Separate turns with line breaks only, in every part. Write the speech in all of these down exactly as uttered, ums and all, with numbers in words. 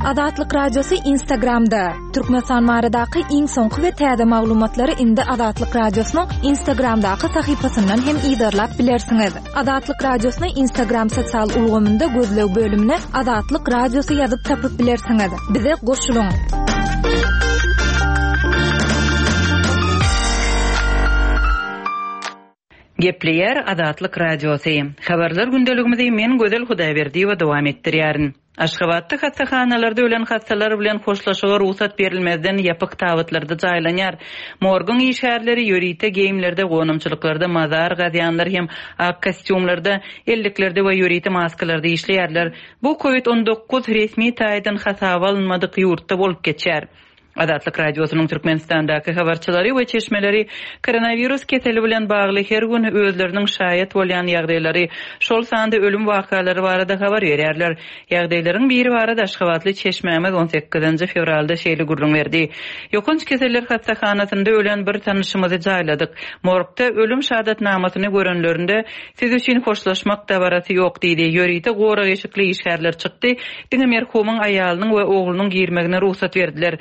Azatlyk Radiosy Instagramda. Türkmenistan baradaky iň soňky we täze maglumatlary indi Azatlyk Radiosynyň Instagramdaky sahypasyndan hem yzarlap bilersiňiz. Azatlyk Radiosyny Instagram sosial ulgamynda gözleg bölümine Azatlyk Radiosy ýazyp tapyp bilersiňiz. Bize goşulyň.
Gepleýär Azatlyk Radiosy. Habarlar gündeligimizi men Gözel Hudaýberdiýewa dowam etdirýärin. Aşgabatda hassahanalarda ölen hassalar bilen hoşlaşyga rugsat berilmezden ýapyk tabytlarda jaýlanýar. Morguň işgärleri ýörite geýimlerde, gonamçylyklarda mazar gazýanlar hem ak kostýumlarda, elliklerde we ýörite maskalarda işleýärler. Bu COVID on dokuz resmi taýdan hasaba alynmadyk ýurtda bolup geçýär. Azatlyk Radiosynyň Türkmenistandaky habarçylary we çeşmeleri koronawirus keseli bilen bagly her gün özleriniň şaýat bolýan ýagdaýlary, şol sanda ölüm wakalary barada habar berýärler. Ýagdaýlaryň biri barada Aşgabatly çeşmämiz on sekizinji fewralda şeýle gürrüň berdi. Ýokanç keseller hassahanasynda ölen bir tanışymyzy jaýladyk. Morgda ölüm şahadatnamasyny görenlerinde siz üçin hoşlaşmak dabarasy ýok diýdi. Ýörite gorag eşikli işgärler çykdy. Diňe merhumyň aýalynyň we oglunyň girmegine rugsat berdiler.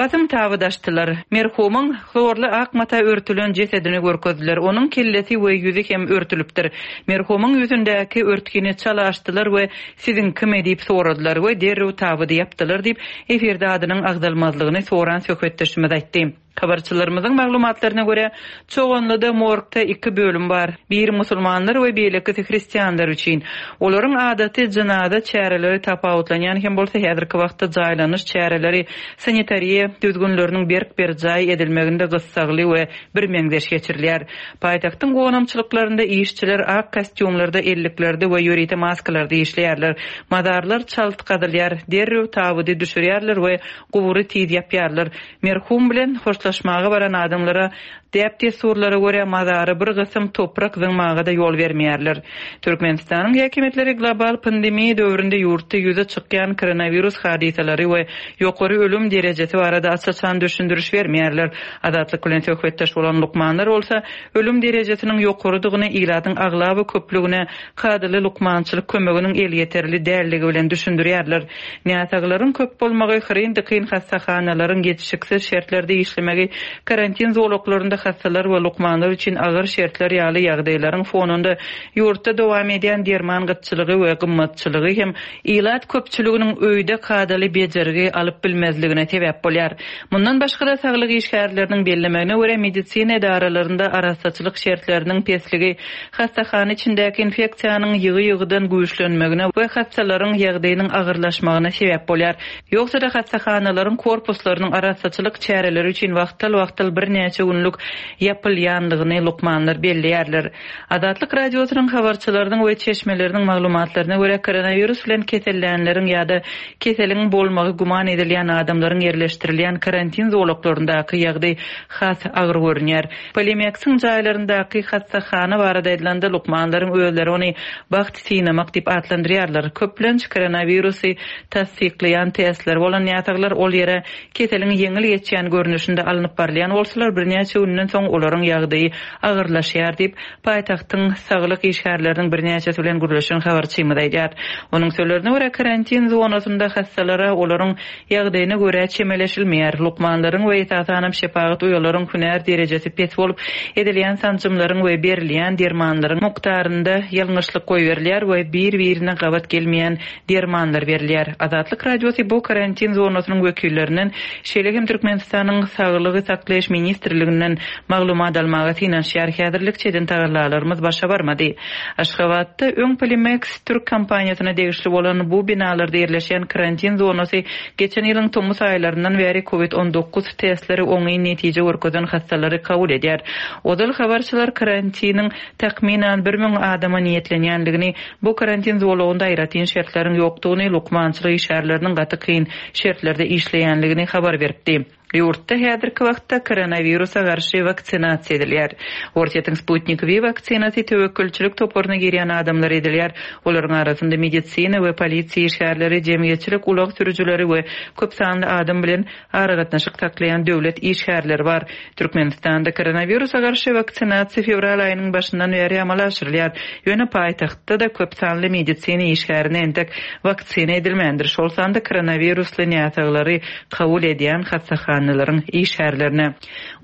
Basym tabydaşdylar. Merhumyň hlorly ak mata örtülen jesedini görkezdiler. Onuň kellesi we ýüzi hem örtülipdir. Merhumyň ýüzündäki örtgini çala açdylar we siziň kim edip soradylar we derrew tabydy ýapdylar diýip, efirde adynyň agzalmazlygyny soran söhbetdeşimiz aýtdy. Habarçylarymyzyň maglumatlaryna görä, Çoganlyda morgda iki bölüm bar. Biri musulmanlar we beýlekisi hristianlar üçin. Olaryň adaty jynaza çäreleri tapawutlanýan hem bolsa häzirki wagtda jaýlanyş çäreleri sanitariýa düzgünleriniň berk berjaý edilmeginde gyssagly we bir meňzeş geçirilýär. Paýtagtyň gonamçylyklarynda işçiler ak kostýumlarda, elliklerde we ýörite maskalarda işleýärler. Mazarlar çalt gazylýar, derrew tabydy düşürýärler we gubury tiz ýapýarlar. Merhum bilen hoşlaşmaga baran adamlara däp dessurlara görä mazary bir gysym toprak zyňmaga da ýol bermeýärler. Türkmenistanyň häkimiýetleri global pandemiýa döwründe ýurtda ýüze çykýan koronawirus hadysalary we ýokary ölüm derejesi barada aç-açan düşündiriş bermeýärler. Azatlyk bilen söhbetdeş bolan lukmanlar bolsa ölüm derejesiniň ýokarydygyny ilatyň aglaba köplügine kadaly lukmançylyk kömeginiň elýeterli dälligi bilen düşündirýärler. Näsaglaryň köp bolmagy hyryn-dykyn hassahanalaryň ýetişiksiz şertlerde işlemegi, karantin zolaklarynda hassalar we lukmanlar üçin agyr şertler ýaly ýagdaýlaryň fonunda ýurtda dowam edýän derman gytçylygy we gymmatçylygy hem ilat köpçüliginiň öýde kadaly bejergi alyp bilmezligine sebäp bolýar. Mundan başga-da saglyk işgärleriniň bellemegine görä medisina edaralarynda arassaçylyk şertleriniň pesligi, hassahana içindäki infeksiýanyň ýygy-ýygydan güýçlenmegine we hassalaryň ýagdaýynyň agyrlaşmagyna sebäp bolýar. Ýogsa-da hassahanalaryň korpuslarynyň arassaçylyk çäreleri üçin wagtal-wagtal birnäçe günlük ýapylýanlygyny lukmanlar belleýärler. Azatlyk Radiosynyň habarçylarynyň we çeşmeleriniň maglumatlaryna görä koronawirus bilen kesellänleriň ýa-da keseliň bolmagy güman edilýän adamlaryň ýerleşdirilýän karantin zolaklaryndaky ýagdaý has agyr görünýär. Polimeksiň jaýlaryndaky hassahana barada aýdylanda lukmanlaryň özleri ony bagt synamak diýip atlandyrýarlar. Köplenç koronawirusy tassyklaýan testler bolan ýataglar ol ýere keseliň ýeňil geçýän görnüşinde alnyp barylýan bolsalar birnäçe günden soň olaryň ýagdaýy agyrlaşýar diýip paýtagtyň saglyk işgärleriniň birnäçesi bilen gürleşen habarçymyz aýdýar. Onuň sözlerine görä karantin zonasynda hassalara olaryň ýagdaýyna görä çemeleşilmeýär. Lukmanlaryň we esasanam şepagat uýalaryň hünär derejesi pes bolup, edilýän sanjymlaryň we berilýän dermanlaryň mukdarynda ýalňyşlyk goýberilýär we bir-birine gabat gelmeýän dermanlar berilýär. Azatlyk Radiosy bu karantin zonasynyň wekillerinden, şeýle hem Türkmenistanyň Saglygy saklaýyş ministrliginden maglumat almaga synanyşýar. Häzirlikçe eden tagallalarymyz başa barmady. Aşgabatda öň Polimex Türk kompaniýasyna degişli bolan bu binalarda ýerleşen karantin zonasy geçen ýylyň tomus aýlaryndan bäri COVID on dokuz testleri oňyn netije görkezen hassalary kabul edýär. Ozal habarçylar karantiniň takmynan bir müň adama niýetlenýänligini, bu karantin zolagynda aýratyn şertleriň ýokdugyny, lukmançylyk işgärleriniň gaty kyn şertlerde işleýänligini habar beripdi. Ýurtda häzirki wagtda koronawirusa garşy waksinasiýa edilýär. Orsýetiň Sputnik V waksinasy töwekgelçilik toparyna girýän adamlar edilýär. Olaryň arasynda medisina we polisiýa işgärleri, jemgyýetçilik ulag sürüjileri we köp sanly adam bilen aragatnaşyk saklaýan döwlet işgärleri bar. Türkmenistanda koronawirusa garşy waksinasiýa fewral aýynyň başyndan bäri amala aşyrylýar. Ýöne paýtagtda da köp sanly medisina işgärine entek waksina edilmändir. Şol sanda koronawirusly näsaglary kabul edýän hassahanalaryň işgärlerine.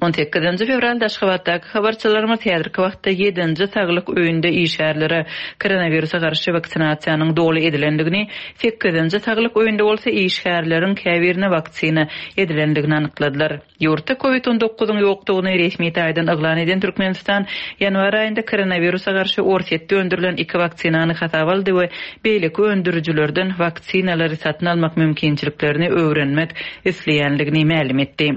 on sekizinji fewralda Aşgabatdaky habarçylarymyz häzirki wagtda ýedinji saglyk öýünde işgärlere koronawirusa garşy waksinasiýanyň doly edilendigini, sekizinji saglyk öýünde bolsa işgärleriň käbirine waksina edilendigini anykladylar. Ýurtda COVID on dokuzyň ýokdugyny resmi taýdan yglan eden Türkmenistan ýanwar aýynda koronawirusa garşy Orsýetde öndürilen iki waksinany hasaba aldy we beýleki öndürijilerden waksinalary satyn almak mümkinçiliklerini öwrenmek isleýänligini mälim etdi.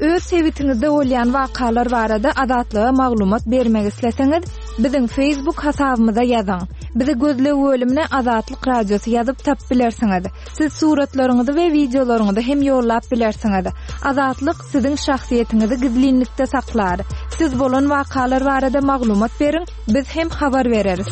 Öz sebitiňizde bolýan wakalar barada Azatlyga maglumat bermek isleseňiz, biziň Facebook hasabymyza ýazyň. Bizi gözleg bölümine Azatlyk Radiosy ýazyp tap bilersiňiz. Siz suratlaryňyzy we wideolaryňyzy hem ýollap bilersiňiz. Azatlyk siziň şahsyýetiňizi gizlinlikde saklar. Siz bolan wakalar barada maglumat beriň, biz hem habar bereris.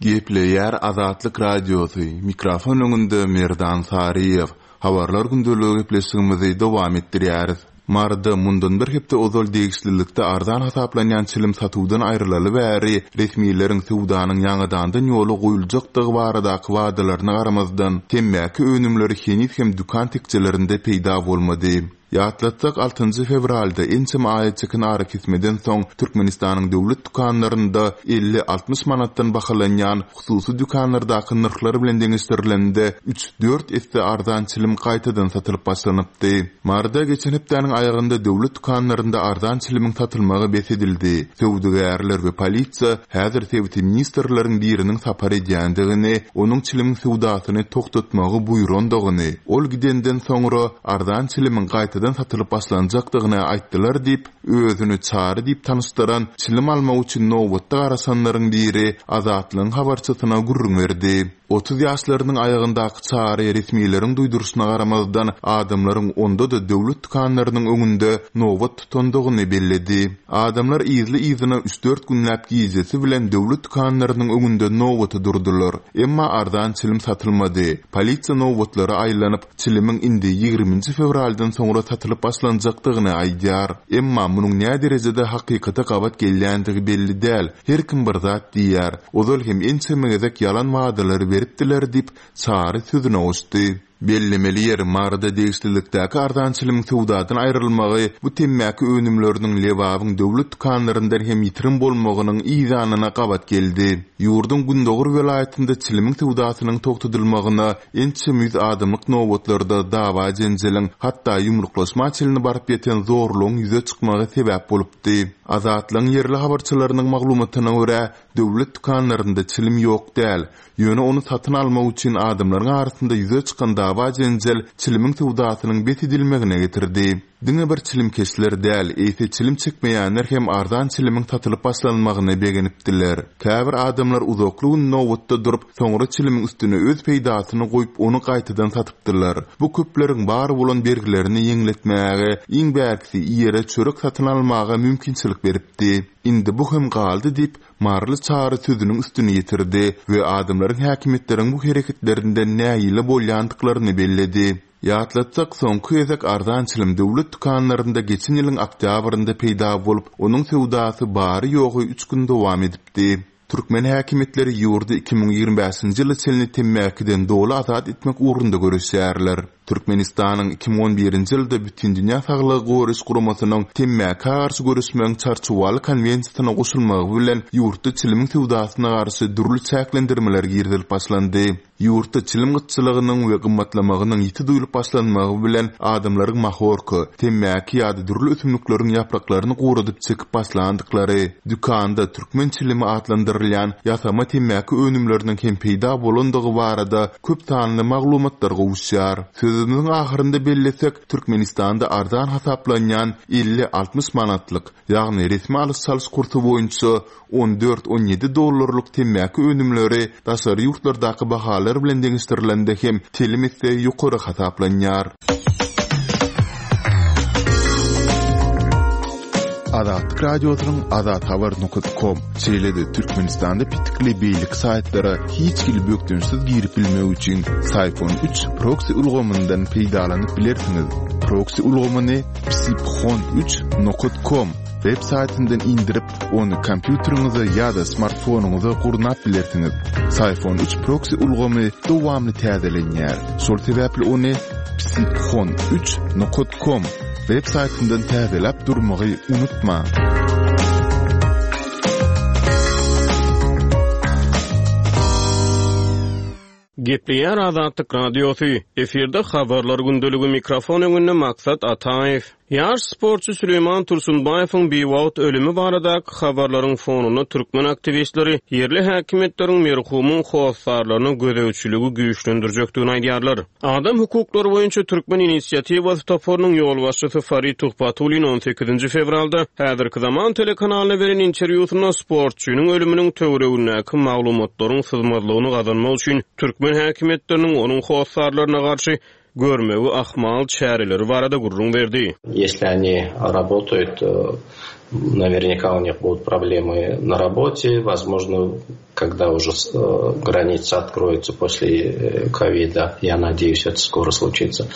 Gepleýär Azatlyk Radiosy. Mikrofon öňünde Merdan Saryýew. Habarlar gündeligi gepleşigimizi dowam etdirýäris. Maryda mundan bir hepde ozal degişlilikde arzan hasaplanýan çilim satuwdan aýrylaly bäri resmileriň söwdanyň ýaňadandan ýola goýuljakdygy baradaky wadalaryna garamazdan temmäki önümleri heniz hem dükan tekjelerinde peýda bolmady. Ýatlatsak altynjy fewralda ençeme aýa çeken arakesmeden soň Türkmenistanyň döwlet dükanlarynda elli altmyş manatdan bahalanýan hususy dükanlardaky nyrhlar bilen deňeşdirilende üç dört esse arzan çilim gaýtadan satylyp başlanypdy. Maryda geçen hepdäniň aýagynda döwlet dükanlarynda arzan çilimiň satylmagy bes edildi. Söwdagärler we polisiýa häzir sebiti ministrleriň biriniň sapar edýändigini, onuň çilimiň söwdasyny togtatmagy buýrandygyny, ol gidenden soňra arzan çilimiň gaýtadan satylyp başlanjakdygyny aýtdylar diýip, özüni Çary diýip tanyşdyran çilim almak üçin nobatda garaşanlaryň biri Azatlygyň habarçysyna gürrüň berdi. Otuz ýaşlarynyň aýagyndaky Çary resmileriň duýduryşyna garamazdan adamlaryň onda-da döwlet dükanlarynyň öňünde nobat tutandygyny belledi. Adamlar yzly-yzyna üç dört günläp gijesi bilen döwlet dükanlarynyň öňünde nobata durdular. Emma arzan çilim satylmady. Polisiýa nobatlara aýlanyp, çilimiň indi ýigriminji fewraldan soňra satylyp başlanjakdygyny aýdýar. Emma munuň näme derejede hakykata gabat gelýändigi belli däl. Her kim bir zat diýýär. Ozal hem ençeme gezek ýalan wadalary beripdiler diýip Çary sözüne goşdy. Bellemeli ýeri Maryda degişlilikdäki arzan çilimiň söwdadan aýrylmagy bu temmäki önümleriniň Lebabyň döwlet dükanlaryndan hem ýitirim bolmagynyň yzanyna gabat geldi. Ýurduň Gündogar welaýatynda çilimiň söwdasynyň togtadylmagyna ençeme ýüz adamlyk nobatlarda dawa jenjeliň, hatda ýumruklaşma çilini baryp ýeten zorlugyň ýüze çykmagy sebäp bolupdy. Azatlygyň ýerli habarçylarynyň maglumatyna görä, döwlet dükanlarynda çilim ýok däl. Ýöne ony satyn almak üçin adamlaryň arasynda ýüze çykan dawa jenjel çilimiň söwdasynyň bes edilmegine getirdi. Diňe bir çilimkeşler däl, eýse çilim çekmeýänler hem arzan çilimiň satylyp başlanmagyna begenipdiler. Käbir adamlar uzakly gün nobatda durup, soňra çilimiň üstüne öz peýdasyny goýup, ony gaýtadan satypdylar. Bu köpleriň bar bolan bergilerini ýeňletmäge, iň bärkisi ýere çörek satyn almaga mümkinçilik beripdi. Indi bu hem galdy diýip, Maryly Çary sözüniň üstüni ýetirdi we adamlaryň häkimiýetleriň bu hereketlerinden nägile bolýandyklaryny belledi. Ýatlatsak, soňky gezek arzan çilim döwlet dükanlarynda geçen ýylyň oktýabrynda peýda bolup, onuň söwdasy bary ýogy üç gün dowam edipdi. Türkmen häkimiýetleri ýurdy iki müň ýigrimi bäşinji ýyla çenli temmäkiden doly azat etmek ugrunda göreşýärler. Türkmenistanyň iki müň on birinji ýylda Bütindünýä Saglygy Goraýyş Guramasynyň temmäkä garşy göreşmegiň çarçuwaly konwensiýasyna goşulmagy bilen ýurtda çilimiň söwdasyna garşy dürli çäklendirmeler girizilip başlandy. Ýurtda çilim gytçylygynyň we gymmatlamagynyň ýiti duýulyp başlanmagy bilen adamlaryň mahorka, temmäki ýa-da dürli ösümlikleriň ýapraklaryny guradyp çekip başlandyklary, dükanda türkmen çilimi atlandyrylýan ýasama temmäki önümleriniň hem peýda bolandygy barada köp sanly maglumatlar gowuşýar. Söz Sözümiziň ahyrynda bellesek, Türkmenistanda arzan hasaplanýan elli altmyş manatlyk, ýagny resmi alyş-çalyş kursy boýunça on dört on ýedi dollarlyk temmäki önümleri daşary ýurtlardaky bahalar bilen deňeşdirilende hem telim etse ýokary hasaplanýar. Azatlyk Radiosynyň azathabar nokta com şeýle-de Türkmenistanda pitikli beýleki saýtlara hiç hili bökdençsiz girip bilmek üçin Syphon üç proxy ulgamyndan peýdalanyp bilersiňiz. Proxy ulgamyny psiphon üç nokta com web saýtyndan indirip, ony kompýuteriňize ýa-da smartfonyňyza gurnap bilersiňiz. Syphon üç proxy ulgamy dowamly täzelenýär. Şol sebäpli ony psiphon üç nokta com web saýtyndan täzeläp durmagy unutma.
Gepleýär Azatlyk Radiosy. Efirde habarlar gündeligi mikrofon öňünde Maksat Ataýew. Ýaş sportçy Süleyman Tursunbaýewiň biwagt ölümi baradaky habarlaryň fonunda türkmen aktiwistleri ýerli häkimiýetleriň merhumyň hossarlaryny gözegçiligi güýçlendirjekdigini aýdýarlar. Adam hukuklary boýunça Türkmen inisiatiwasy toparynyň ýolbaşçysy Farid Tuhbatullin on sekizinji fewralda häzirki zaman telekanalyna beren interwýusynda sportçynyň ölüminiň töweregindäki maglumatlaryň syzmazlygyny gazanmak üçin türkmen häkimiýetleriniň onuň hossarlaryna garşy görmegi ahmal çäreleri barada gürrüň berdi.
Если они работают, наверняка у них будут проблемы на работе, возможно, когда уже граница откроется после ковида, я надеюсь, это скоро случится,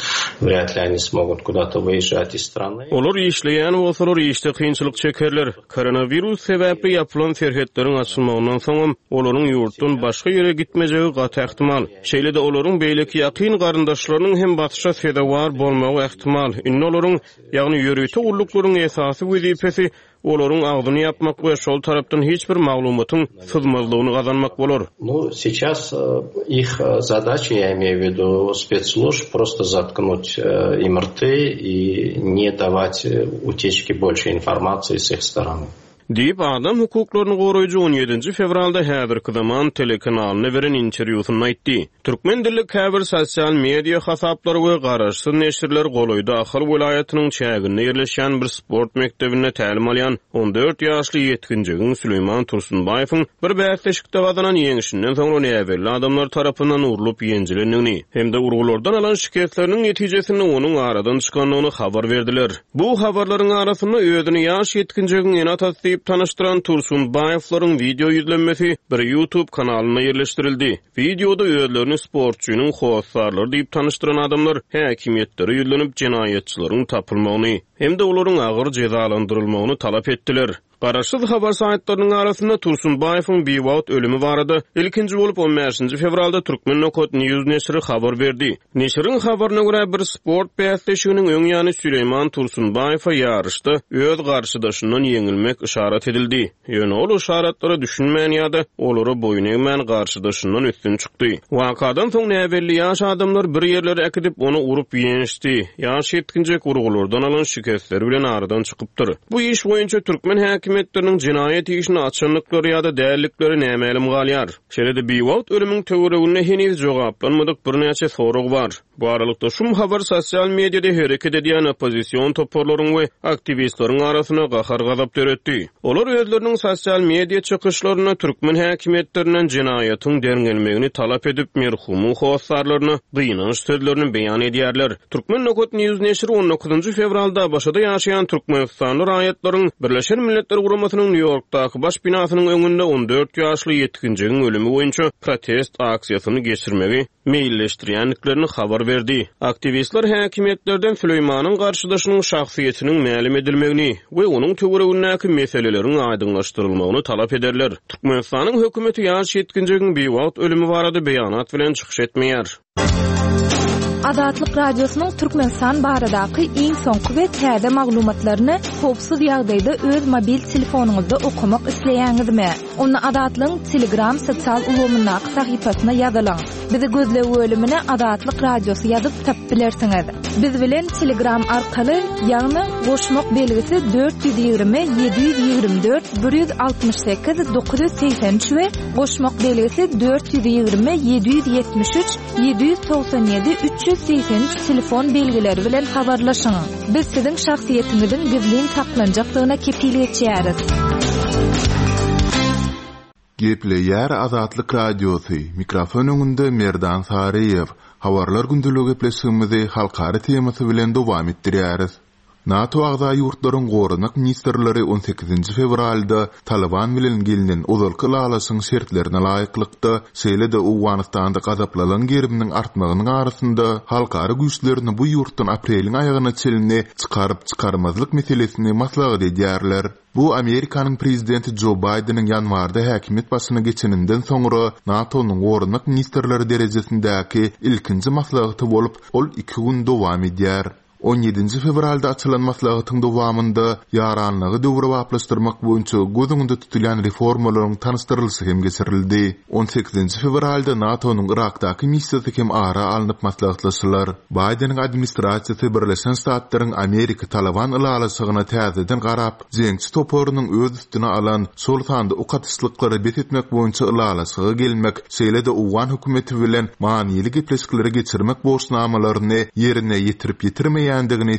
вряд ли они смогут куда-то выезжать из страны.
Olar işleýän bolsalar işde kynçylyk çekerler. Koronavirus sebäpli ýapylan serhetleriň açylmagyndan soňam olaryň ýurtdan başga ýere gitmejegi gaty ähtimal. Şeýle-de olaryň beýleki ýakyn garyndaşlarynyň hem batyşa sezewar bolmagy ähtimal. Indi olaryň, ýagny ýörite gulluklaryň esasy wezipesi olaryň agzyny ýapmak we şol tarapdan hiç bir maglumatyň syzmazlygyny gazanmak bolar.
Ну, сейчас их задача, я имею в виду спецслужб, просто заткнуть им рты и не давать утечки больше информации с их стороны.
Diýip adam hukuklaryny goraýjy on ýedinji fewralda häzirki zaman telekanalyna beren interwýusynda aýtdy. Türkmen dilli käbir sosial media hasaplary we garaşsyz neşirler golaýda Ahal welaýatynyň çäginde ýerleşýän bir sport mekdebinde tälim alýan on dört ýaşly ýetginjegiň Süleyman Tursunbaýewiň bir bäsleşikde gazanan ýeňişinden soňra näbelli adamlar tarapyndan urlup ýenjilendigini hem-de urgulardan alan şikesleriniň netijesinde onuň aradan çykandygyny habar berdiler. Bu habarlaryň arasynda özüni ýaş ýetginjegiň ene-atasy diýip tanyşdyran Tursunbaýewleriň video ýüzlenmesi bir YouTube kanalyna ýerleşdirildi. Videoda özlerini sportçynyň hossarlary diýip tanyşdyran adamlar häkimiýetlere ýüzlenip jenaýatçylaryň tapylmagyny hem-de olaryň agyr jezalandyrylmagyny talap etdiler. Garaşsyz habar saýtlarynyň arasynda Tursunbaýewiň biwagt ölümi barada ilkinji bolup on bäşinji fewralda Türkmen nokta News neşiri habar berdi. Neşiriň habaryna görä bir sport bäsleşiginiň öň ýany Süleyman Tursunbaýewe ýaryşda öz garşydaşyndan ýeňilmek işaret edildi. Ýöne ol işaretlara düşünmän ýa-da olara boýun egmän garşydaşyndan üstün çykdy. Wakadan soň näbelli ýaş adamlar bir ýerlere äkidip ony urup ýençdi. Ýaş ýetginjek urgulardan alan şikesler bilen aradan çykypdyr. Bu iş boýunça türkmen häkimiýetleriniň jenaýat işini açanlyklary ýa-da dällikleri nämälim galýar. Şeýle-de biwagt ölümiň töwereginde heniz jogaplanmadyk birnäçe sorag bar. Bu aralykda şum habar sosial mediada hereket edýän oppozision toparlaryň we aktiwistleriň arasyna gahar-gazap döretdi. Olar özleriniň sosial media çykyşlarynda türkmen häkimiýetlerinden jenaýatyň derňelmegini talap edip merhumyň hossarlaryna gynanç sözlerini beýan edýärler. Türkmen nokta News neşiri on dokuzynjy fewralda ABŞ-da ýaşaýan Türkmenistanly raýatlaryň Birleşen Milletler Guramasynyň Nýu-Ýorkdaky baş binasynyň öňünde on dört ýaşly ýetginjegiň ölümi boýunça protest aksiýasyny geçirmegi meýilleşdirýändiklerini habar berdi. Aktiwistler häkimiýetlerden Süleýmanyň garşydaşynyň şahsyýetiniň mälim edilmegini we onuň töweregindäki meseleleriň aýdyňlaşdyrylmagyny talap ederler. Türkmenistanyň hökümeti ýaş ýetginjegiň biwagt ölümi barada beýanat bilen çykyş etmeýär.
Azatlyk Radiosynyň Türkmenistan baradaky iň soňky we täze maglumatlaryny howpsuz ýagdaýda öz mobil telefonyňyzda okamak isleýäňizmi? Onda Azatlygyň Telegram sosial ulgamyndaky sahypasyna ýazylyň. Bizi gözleg bölümine Azatlyk Radiosy ýazyp tapyp bilersiňiz. Biz bilen Telegram arkaly, ýagny goşmak belgisi dört ýüz ýigrimi ýedi ýüz ýigrimi dört bir ýüz altmyş sekiz dokuz ýüz segsen üç we goşmak belgisi dört ýüz ýigrimi ýedi ýüz ýetmiş üç ýedi ýüz togsan ýedi üç ýüz segsen üç telefon belgileri bilen habarlaşyň. Biz siziň şahsyýetiňiziň gizlin saklanjakdygyna kepil geçýäris.
Gepleýär Azatlyk Radiosy. Mikrofon öňünde Merdan Saryýew. Habarlar gündeligi gepleşigimizi halkara temasy bilen dowam etdirýäris. NATO agza ýurtlaryň goranmak ministrleri on sekizinji fewralda Taliban bilen gelinen ozalky ylalaşygyň şertlerine laýyklykda, şeýle-de Owganystanda gazaplylygyň geriminiň artmagynyň arasynda halkara güýçlerini bu ýurtdan apreliň aýagyna çenli çykaryp çykarmazlyk meselesini maslahat edýärler. Bu Amerikanyň prezidenti Joe Bideniň ýanwarda häkimiýet başyna geçeninden soňra NATO-nyň goranmak ministrleri derejesindäki ilkinji maslahaty bolup, ol iki gün dowam edýär. On ýedinji fewralda açylan maslahatyň dowamynda ýaranlygy döwrebaplaşdyrmak boýunça göz öňünde tutulýan reformalaryň tanyşdyrylyşy hem geçirildi. On sekizinji fewralda NATO-nyň Irakdaky missiýasy hem ara alnyp maslahatlaşylar. Bideniň administrasiýasy Birleşen Ştatlaryň Amerika Taliban ylalaşygyna täzeden garap, jeňçi toparynyň öz üstüne alan, şol sanda ok atyşlyklary bes etmek boýunça ylalaşyga gelmek, şeýle-de Owgan hökümeti bilen manyly gepleşikleri geçirmek borçnamalaryny ýerine ýetirip ýetirmeýändigini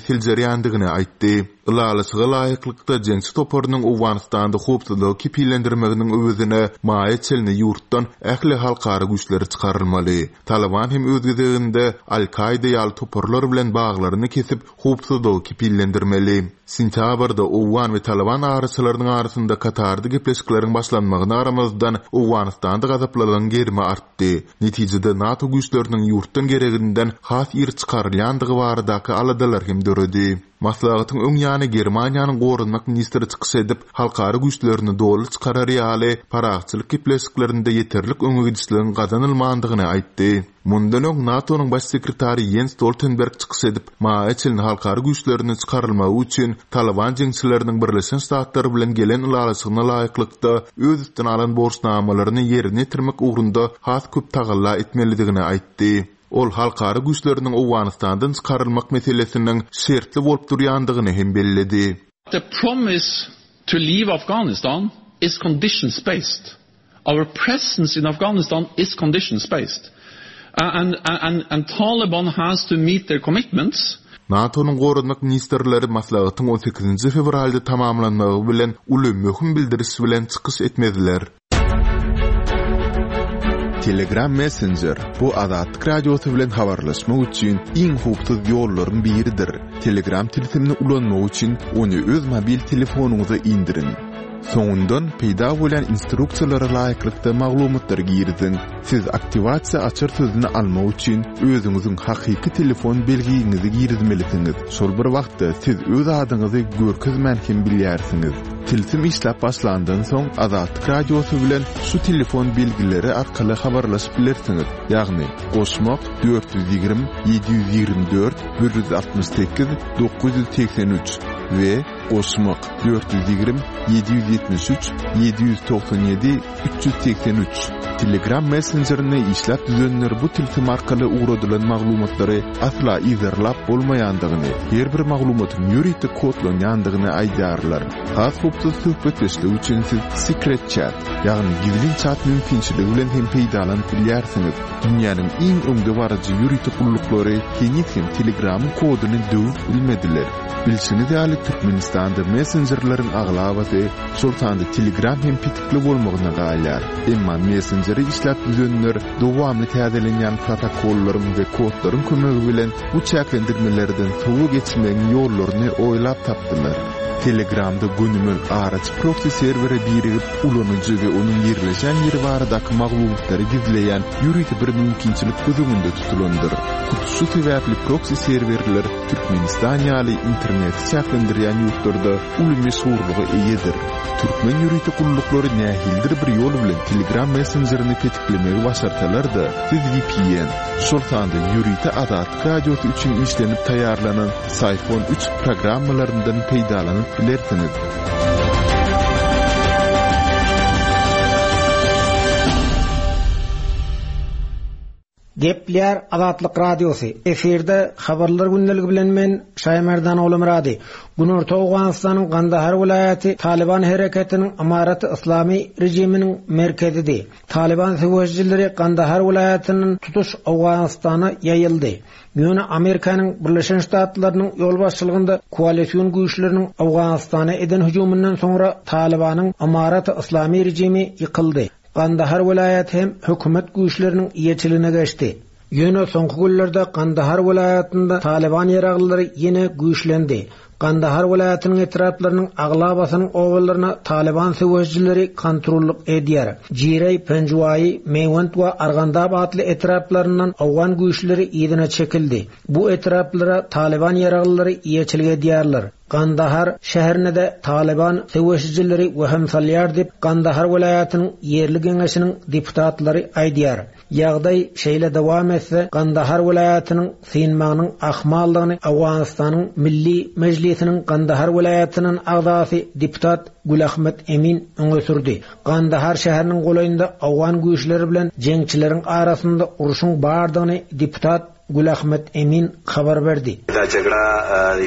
seljerýändigini aýtdy. Ylalaşyga laýyklykda jeňçi toparynyň Owganystanda howpsuzlygy kepillendirmeginiň öwezine maýa çenli ýurtdan ähli halkara güýçleri çykarylmaly. Taliban hem öz gezeginde Al-Kaida ýaly toparlar bilen baglaryny kesip howpsuzlygy kepillendirmeli. Sentýabrda Owgan we Taliban araçylarynyň arasynda Katarda gepleşikleriň başlanmagyna garamazdan Owganystanda gazaplylygyň gerimi artdy. Netijede NATO güýçleriniň ýurtdan gereginden has ir çykarylýandygy baradaky aladalar hem döredi. Maslahatyň öň ýany Germaniýanyň goranmak ministri çykyş edip, halkara güýçlerini doly çykarar ýaly parahatçylyk gepleşiklerinde ýeterlik öňe gidişligiň gazanylmandygyny aýtdy. Mundan öň NATO-nyň baş sekretary Jens Stoltenberg çykyş edip, maýa çenli halkara güýçlerini çykarylmagy üçin Taliban jeňçileriniň Birleşen Ştatlar bilen gelen ylalaşygyna laýyklykda öz üstüne alan borçnamalaryny ýerine ýetirmek ugrunda has köp tagalla etmelidigini aýtdy. Ol halkara güýçleriniň Owganystandan çykarylmak meselesiniň şertli bolup durýandygyny hem belledi.
The promise to leave Afghanistan is conditions based. Our presence in Afghanistan is conditions based. Uh, and, and, and Taliban has to meet their commitments.
NATO-nyň goranmak ministrleri maslahatyň on sekizinji fewralda tamamlanmagy bilen uly möhüm bildiriş bilen çykyş etmediler.
Telegram Messenger bu Azatlyk Radiosy bilen habarlaşmak üçin iň howpsuz ýollaryň biridir. Telegram tilsimini ulanmak üçin ony öz mobil telefonyňyza indiriň. Soňundan peýda bolan instruksiýalara laýyklykda maglumatlary giriziň. Siz aktiwasiýa açar sözüni almak üçin özüňiziň hakyky telefon belgiňizi girizmelisiňiz. Şol bir wagtda siz öz adyňyzy görkezmän hem bilýärsiňiz. Tilsim işläp başlandan soň Azatlyk Radiosy bilen şu telefon belgileri arkaly habarlaşyp bilersiňiz. Ýagny goşmak dört ýüz ýigrimi ýedi ýüz ýigrimi dört bir ýüz altmyş sekiz dokuz ýüz segsen üç we goşmak dört ýüz ýigrimi ýedi ýüz ýetmiş üç ýedi ýüz togsan ýedi üç ýüz segsen üç. Telegram messenjerini işläp düzenler bu tilsim arkaly ugradylan maglumatlary asla yzarlap bolmaýandygyny, her bir maglumatyň ýörite kodlanýandygyny aýdýarlar. Has howpsuz söhbetdeşlik üçin siz Secret Chat, ýagny gizlin chat mümkinçiligi bilen hem peýdalanyp bilýärsiňiz. Dünýäniň iň öňdebaryjy ýörite gulluklary heniz hem Telegramyň koduny döwüp bilmediler. Bilşiňiz ýaly Türkmenistanda messenjerleriň aglabasy, şol sanda Telegram hem petikli bolmagyna galýar. Emma messenjeri işläp düzenler dowamly täzelenýän protokollaryň we kodlaryň kömegi bilen bu çäklendirmelerden sowa geçmegiň ýollaryny oýlap tapdylar. Telegramda gönümel araç proxy serwere birigip ulanyjy we onuň ýerleşen ýeri baradaky maglumatlary gizleýän ýörite bir mümkinçilik göz öňünde tutulandyr. Hut şu sebäpli proxy serwerler Türkmenistan ýaly interneti çäklendirýän ýurtlarda uly meşhurlyga eýedir. Türkmen ýörite gulluklary nähilidir bir ýol bilen Telegram messenjerini petiklemegi başarsalar-da, siz V P N, şol sanda ýörite Azatlyk Radiosy üçin işlenip taýýarlanan Syphon üç programmalaryndan peýdalanyp bilersiňiz.
Gepleýär Azatlyk Radiosy. Efirde habarlar gündeligi bilen men Şaýmerdan Oglumyrady. Günorta Owganystanyň Gandahar welaýaty Talyban hereketiniň Amaraty Yslamy režiminiň merkezidi. Talyban söweşijileri Gandahar welaýatyndan tutuş Owganystana ýaýyldy. Ýöne Amerikanyň Birleşen Ştatlarynyň ýolbaşçylygynda koalision güýçleriniň Owganystana eden hüjüminden soňra Talybanyň Amaraty Yslamy režimi ýykyldy. Gandahar welaýaty hem hökümet güýçleriniň eýeçiligine geçdi. Ýöne soňky günlerde Gandahar welaýatynda Talyban ýaraglylary ýene güýçlendi. Gandahar welaýatynyň etraplarynyň aglabasynyň obalaryna Talyban söweşijileri kontrollyk edýär. Jireý, Penjuwaýy, Meýwent we Argandab atly etraplaryndan owgan güýçleri yzyna çekildi. Bu etraplara Talyban ýaraglylary eýeçilik edýärler. Gandahar şäherine-de Talyban söweşijileri wehim salýar diýip, Gandahar welaýatynyň ýerli geňeşiniň deputatlary aýdýar. Ýagdaý şeýle dowam etse, Gandahar welaýatynyň synmagynyň ahmallygyny Owganystanyň Milli Mejlisiniň Gandahar welaýatynyň agzasy deputat Gülahmet Emin öňe sürdi. Gandahar şäheriniň golaýynda owgan güýçleri bilen jeňçileriň arasynda urşuň bardygyny deputat Gülahmet Emin habar berdi.
دا جګړه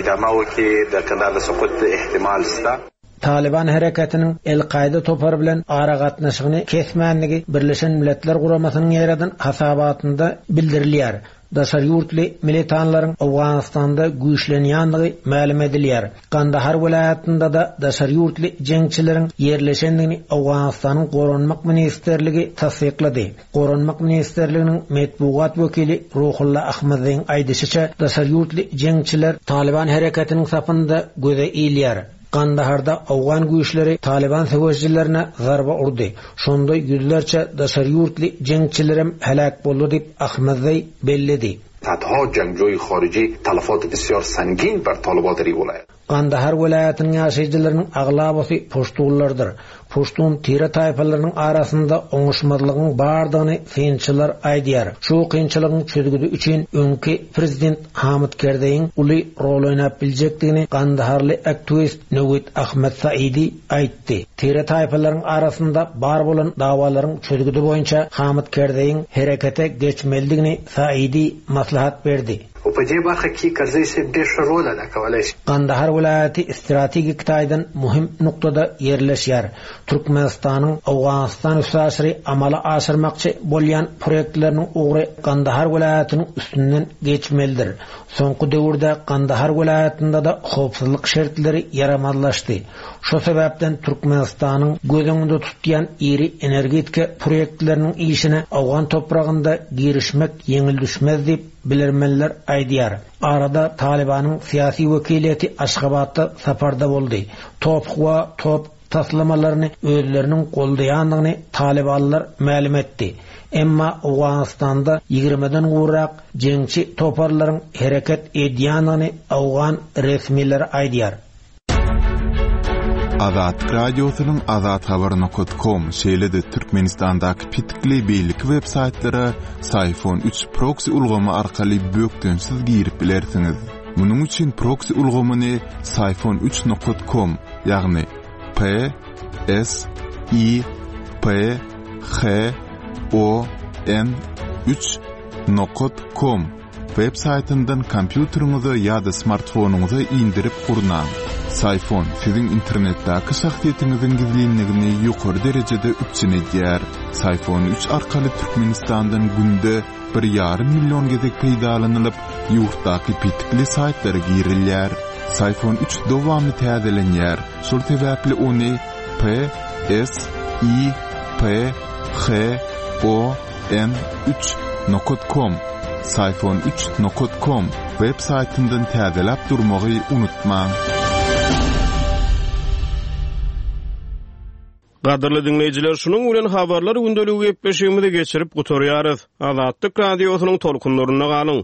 ادامه وکړي د کندهار د سقوط احتمال شته.
Talyban hereketiniň El-Kaýda topary bilen aragatnaşygyny kesmänligi Birleşen Milletler Guramasynyň ýaradan hasabatynda bildirilýär. Daşary ýurtly militanlaryň Owganystanda güýçlenýänligi mälim edilýär. Gandahar welaýatynda-da daşary ýurtly jeňçileriň ýerleşendigini Owganystanyň Goranmak ministrligi tassyklady. Goranmak ministrliginiň metbugat wekili Ruhulla Ahmadzyň aýdyşyça, daşary ýurtly jeňçiler Talyban hereketiniň sapynda göze ilýär. Gandaharda owgan güýçleri Talyban söweşijilerine zarba urdy. Şonda ýüzlerçe daşary ýurtly jeňçilerem heläk boldy diýip Ahmadzaý belledi.
صدها جنگجوی خارجی تلفات بسیار سنگین بر طالبان در این ولایت.
Gandahar welaýatynyň ýaşaýjylarynyň aglabasy puştunlardyr. Puştun tire taýpalarynyň arasynda oňuşmazlygyň bardygyny synçylar aýdýar. Şu kynçylygyň çözgüdi üçin öňki prezident Hamid Kerzeýiň uly rol oýnap biljekdigini Gandaharly aktiwist Newit Ahmed Saidi aýtdy. Tire taýpalaryň arasynda bar bolan dawalaryň çözgüdi boýunça Hamid Kerzeýiň herekete geçmelidigini Saidi maslahat berdi.
او په دې برخه کې کرزی صاحب ډېر ښه رول ادا کولای شي.
Gandahar welaýaty strategik taýdan muhim noktada ýerleşýär. Türkmenistanyň Owganystan üstaşyry amala aşyrmakçy bolýan proýektleriniň ugry Gandahar welaýatynyň üstünden geçmelidir. Soňky döwürde Gandahar welaýatynda da howpsuzlyk şertleri ýaramazlaşdy. Şu sebäpden Türkmenistanyň göz öňünde tutýan iri energetika proýektleriniň işine Owgan topragynda girişmek ýeňil düşmez diýip bilermenler aýdýar. Arada Talibanyň syýasy wekiliýeti Aşgabatda saparda boldy. Top we top taslamalaryny özleriniň goldaýandygyny Talibanlar mälim etdi. Emma Owganystanda ýigrimiden gowrak jeňçi toparlaryň hereket edýändigini owgan resmileri aýdýar.
Azatlyk Radiosynyň azathabar nokta com şeýle-de Türkmenistandaky petikli beýleki web saýtlara Syfon üç proxy ulgamy arkaly bökdençsiz girip bilersiňiz. Munuň üçin proxy ulgamyny Syfon üç nokta com, ýagny P S I P H O N üç nokta com web saýtyndan kompýuteriňize ýa-da smartfonyňyza indirip gurnaň. Syfon siziň internetdäki şahsyýetiňiziň gizlinligini ýokary derejede üpjün edýär. Syfon üç arkaly Türkmenistandan günde bir ýarym million gezek peýdalanylyp, ýurtdaky petikli saýtlara girilýär. Syfon üç dowamly täzelenýär. Şol sebäpli ony P S I P H O N üç nokta com Syfon üç nokta com web saýtyndan täzeläp durmagy unutmaň.
Gadyrly dinleýjiler, şunuň bilen habarlar gündeligi gepleşigimizi geçirip gutarýarys. Azatlyk radiosynyň tolkunlarynda galyň.